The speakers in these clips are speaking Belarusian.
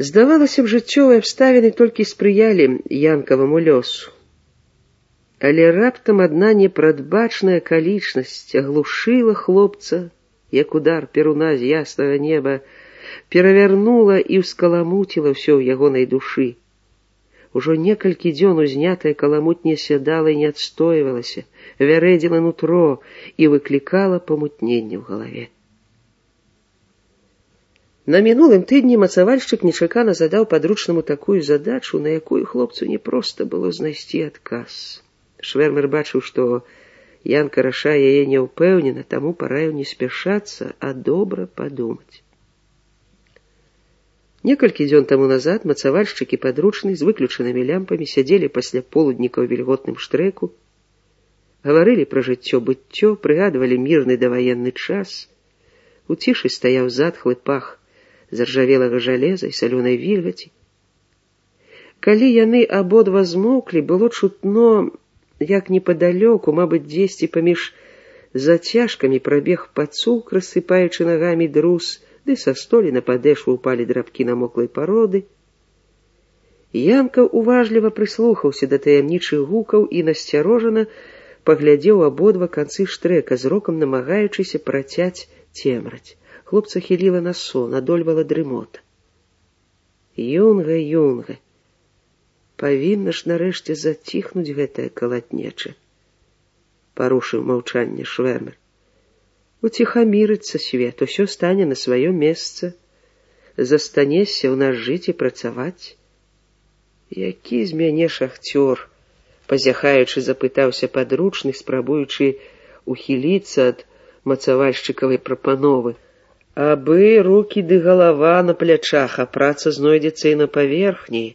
Здавалася б, жыццёвыя абставіны толькі спрыялі янкаваму лёсу. Але раптам адна непрадбачная акалічнасць аглушыла хлопца, як удар перуна з яснага неба, перавярнула і ўскаламуціла ўсё ў ягонай душы. Ужо некалькі дзён узнятая каламуть не сядала і не адстойвалася, вярэдзіла нутро і выклікала памутненне ў галаве. На мінулым тыдні мацавальшчык нечакана задаў падручнаму такую задачу, на якую хлопцу непроста было знайсці адказ. Швэрмер бачыў, што Янка рашае яе няўпэўнена, таму параіў не спяшацца, а добра падумаць. Некалькі дзён таму назад мацавальшчык і падручны з выключанымі лямпамі сядзелі пасля полудніка ў вільготным штрэку, гаварылі пра жыццё-быццё, прыгадвалі мірны даваенны час. У цішы стаяў затхлы пах заржавелага жалеза і салёнай вільгаці. Калі яны абодва змоўклі, было чутно, як непадалёку, мабыць, дзесьці паміж зацяжкамі прабег пацук, рассыпаючы нагамі друз, ды са столі на падэшву ўпалі драбкі намоклай пароды. Янка уважліва прыслухаўся да таямнічых гукаў і насцярожана паглядзеў абодва канцы штрэка, зрокам намагаючыся працяць цемраць. Хлопца хіліла на сон, адольвала дрымота. Юнга, павінна ж нарэшце заціхнуць гэтая калатнеча, парушыў маўчанне Швэрмер. Уціхамірыцца свет, усё стане на сваё месца, застанешся ў нас жыць і працаваць. Які з мяне шахцёр, пазяхаючы, запытаўся падручны, спрабуючы ухіліцца ад мацавальшчыкавай прапановы. Абы рукі ды галава на плячах, а праца знойдзецца і на паверхні,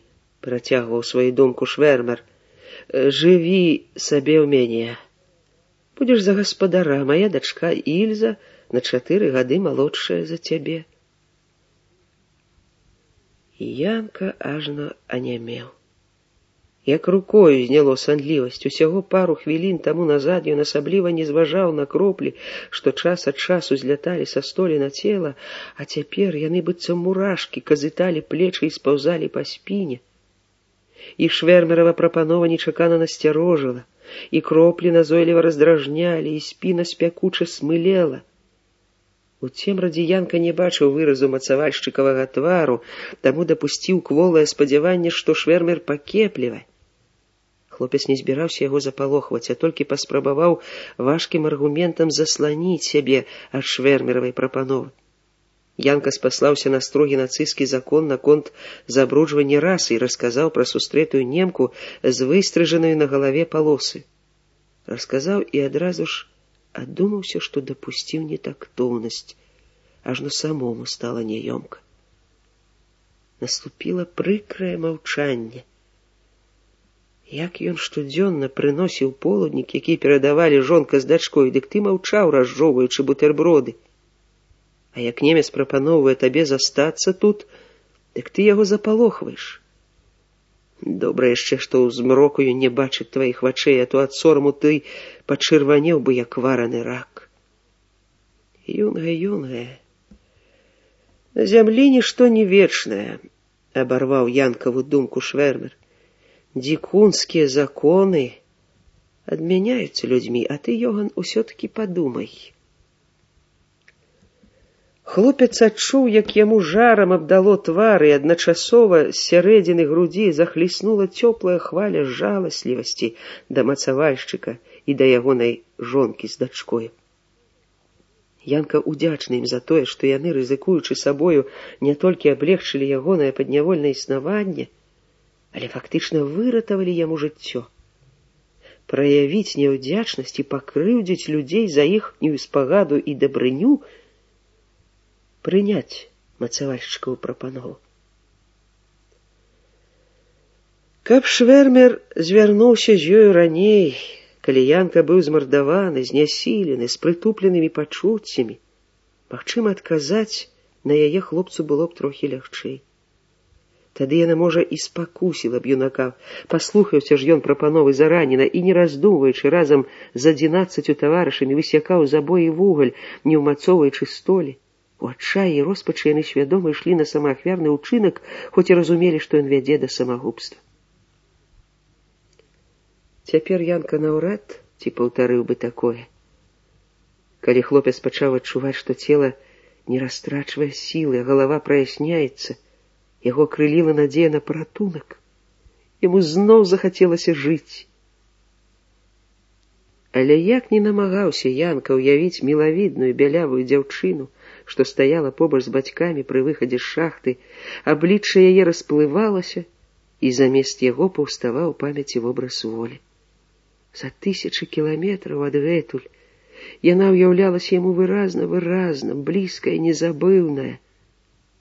працягваў сваю думку Швэрмер. Жыві сабе ў мяне. Будзеш за гаспадара, мая дачка Ільза на 4 гады малодшая за цябе. Янка ажно анямеў. Як рукою зняло санлівасць. Усяго пару хвілін таму назад ён асабліва не зважаў на кроплі, што час ад часу зляталі са столі на цела, а цяпер яны быццам мурашкі казыталі плечы і спаўзалі па спіне. І Швэрмерава прапанова нечакана насцярожыла, і кроплі назойліва раздражнялі, і спіна спякуча смылела. У цемрадзе Янка не бачыў выразу мацавальшчыкавага твару, таму дапусціў кволае спадзяванне, што Швэрмер пакеплівае. Хлопец не збіраўся яго запалохваць, а толькі паспрабаваў важкім аргументам засланіць сябе ад Швэрмеравай прапановы. Янка спаслаўся на строгі нацысцкі закон наконт забруджвання расы і расказаў пра сустрэтую немку з выстрыжанаю на галаве палосы. Расказаў і адразу ж адумаўся, што дапусціў нетактоўнасць, ажно самому стала няёмка. Наступіла прыкрае маўчанне. Як ён штодзённа прыносіў полуднік, які перадавалі жонка з дачкой, дык ты маўчаў, разжоўваючы бутэрброды. А як немец прапаноўвае табе застацца тут, дык ты яго запалохваеш. Добра яшчэ, што ў змроку ён не бачыць тваіх вачэй, а то ад сораму ты пачырванеў бы, як вараны рак. Юнга, на зямлі нішто не вечнае, абарваў Янкаву думку Швэрмер. Дзікунскія законы адмяняюцца людзьмі, а ты, Йоган, усё-такі падумай. Хлопец адчуў, як яму жарам абдало твар, і адначасова з сярэдзіны грудзі захліснула цёплая хваля жаласлівасці да мацавальшчыка і да ягонай жонкі з дачкою. Янка удзячны ім за тое, што яны, рызыкуючы сабою, не толькі аблегчылі ягонае паднявольнае існаванне, але фактычна выратавалі яму жыццё. Праявіць няўдзячнасць і пакрыўдзіць людзей за іхнюю спагаду і дабрыню, прыняць мацавальшчыкаву прапанову. Каб Швэрмер звярнуўся з ёю раней, калі Янка быў змардаваны, знясілены, з прытупленымі пачуццямі, магчыма, адказаць на яе хлопцу было б трохі лягчэй. Тады яна, можа, і спакусіла б юнака, паслухаўся ж ён прапановы заранена і, не раздумваючы, разам з 11 таварышамі высякаў забой і вугаль, не ўмацоўваючы столі. У адчаі і роспачы яны свядома ішлі на самаахвярны ўчынак, хоць і разумелі, што ён вядзе да самагубства. Цяпер Янка наўрад ці паўтарыў бы такое. Калі хлопец пачаў адчуваць, што цела не растрачвае сілы, а галава праясняецца, яго крыліла надзея на паратунак. Яму зноў захацелася жыць. Але як не намагаўся Янка ўявіць мілавідную бялявую дзяўчыну, што стаяла побач з бацькамі пры выхадзе з шахты, аблічча яе расплывалася, і замест яго паўставаў у памяці вобраз волі. За 1000 кіламетраў адгэтуль яна ўяўлялася яму выразна, блізкая, незабыўная,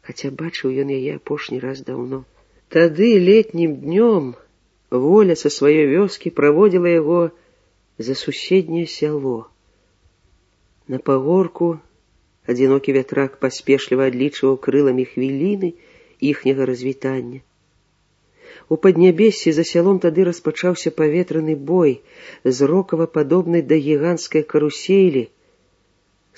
хаця бачыў ён яе апошні раз даўно. Тады летнім днём Воля са сваёй вёскі праводзіла яго за суседняе сяло. На пагорку адзінокі вятрак паспешліва адлічваў крыламі хвіліны іхняга развітання. У паднябессі за сялом тады распачаўся паветраны бой, зрокава-падобны да гіганцкай каруселі.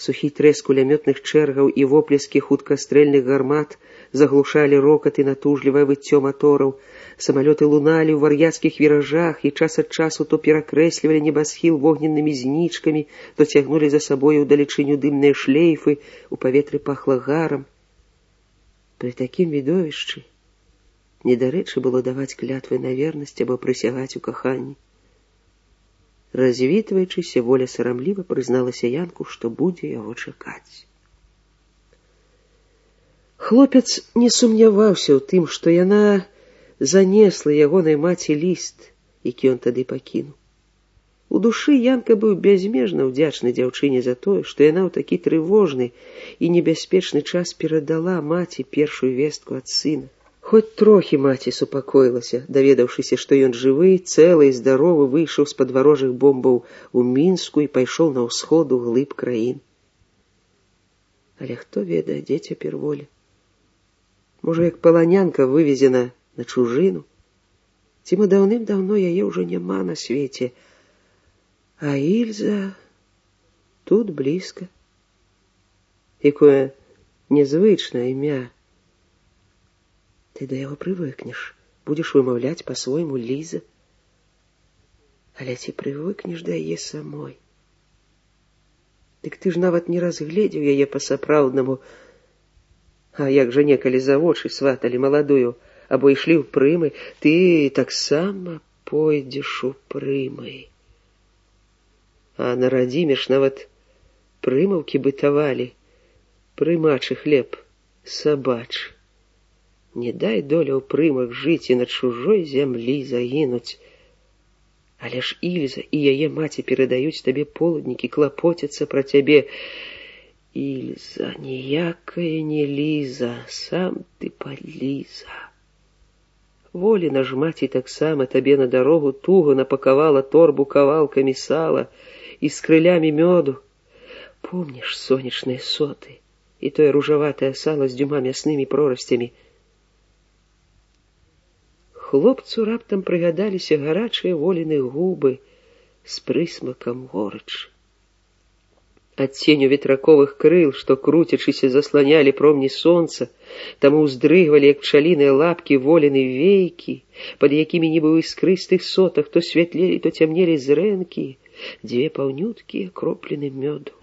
Сухі трэск кулямётных чэргаў і воплескі хуткастрэльных гармат заглушалі рокат і натужлівае выццё матораў. Самалёты луналі ў вар'яцкіх віражах і час ад часу то перакрэслівалі небасхіл вогненнымі знічкамі, то цягнулі за сабою ўдалечыню дымныя шлейфы, у паветры пахла гарам. Пры такім відовішчы недарэчы было даваць клятвы на вернасць або прысягаць у каханні. Развітваючыся, Воля сарамліва прызналася Янку, што будзе яго чакаць. Хлопец не сумняваўся ў тым, што яна занесла ягонай маці ліст, які ён тады пакінуў. У душы Янка быў бязмежна ўдзячны дзяўчыне за тое, што яна ў такі трывожны і небяспечны час перадала маці першую вестку ад сына. Хоць трохі маці супакоілася, даведаўшыся, што ён жывы, цэлы і здаровы выйшаў з-пад варожых бомбаў у Мінску і пайшоў на ўсход у глыб краін. Але хто ведае, дзе цяпер Воля? Можа, як паланянка вывезена на чужыну? Ці мы даўным-даўно яе ўжо няма на свеце, а Ільза тут блізка. Якое незвычнае імя. Ты да яго прывыкнеш, будзеш вымаўляць па-свойму Ліза. Але ці прывыкнеш да яе самой? Дык ты ж нават не разгледзеў яе па-сапраўднаму. А як жа некалі за вочы сваталі маладую, або ішлі ў прымы, ты таксама пойдзеш у прымы. А на радзіме ж нават прымаўкі бытавалі, прымачы хлеб сабачы. Не дай доля ў прымах жыць і на чужой зямлі загінуць. Але ж Ільза і яе маці перадаюць табе полуднікі, клапоцяцца пра цябе. Ільза, ніякая не Ліза, сам ты падліза. Воліна ж маці таксама табе на дарогу туго напакавала торбу кавалкамі сала і з крылямі мёду. Помніш сонечныя соты і тое ружаватае сала з дзвюма мяснымі прорасцямі? Хлопцу раптам прыгадаліся гарачыя Воліны губы з прысмакам горычы. Ад ценю ветраковых крыл, што круцячыся засланялі промні сонца, таму ўздрыгвалі, як пчаліныя лапкі, Воліны вейкі, пад якімі нібы ў іскрыстых сотах то святлелі, то цямнелі зрэнкі, дзве паўнюткія кропліны мёду.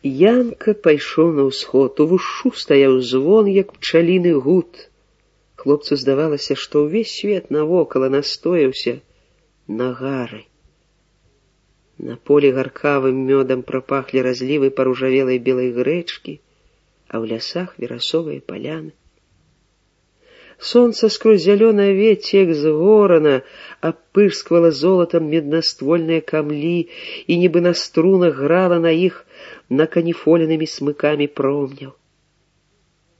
Янка пайшоў на ўсход, у вушу стаяў звон, як пчаліны гуд. Хлопцу здавалася, што ўвесь свет навокала настояўся на гары. На полі гаркавым мёдам прапахлі разлівы паружавелай белай грэчкі, а ў лясах верасовыя паляны. Сонца скрозь зялёнае вецце, як згорана, апырсквала золатам меднаствольныя камлі і нібы на струнах грала на іх наканіфоленымі смыкамі промняў.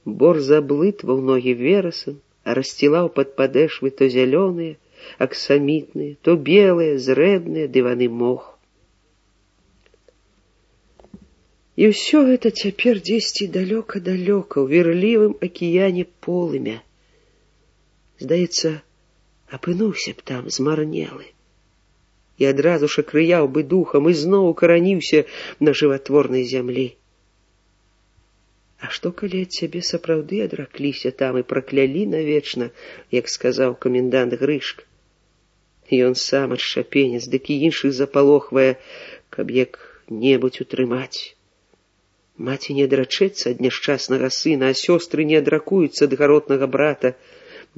Бор заблытваў ногі верасам, а рассцілаў пад падэшвы то зялёныя, аксамітныя, то белыя, зрэбныя дываны мох. І ўсё гэта цяпер дзесьці далёка-далёка ў вірлівым акіяне полымя. Здаецца, апынуўся б там змарнелы. І адразу ж акрыяў бы духам і зноў укараніўся на жыватворнай зямлі. А што, калі ад цябе сапраўды адракліся там і праклялі навечна, як сказаў камендант Грышка? Ён сам адшчапенец, дык і іншых запалохвае, каб як-небудзь утрымаць. Маці не адрачэцца ад няшчаснага сына, а сёстры не адракуюцца ад гаротнага брата.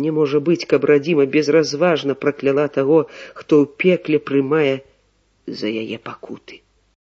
Не можа быць, каб радзіма безразважна пракляла таго, хто ў пекле прымае за яе пакуты.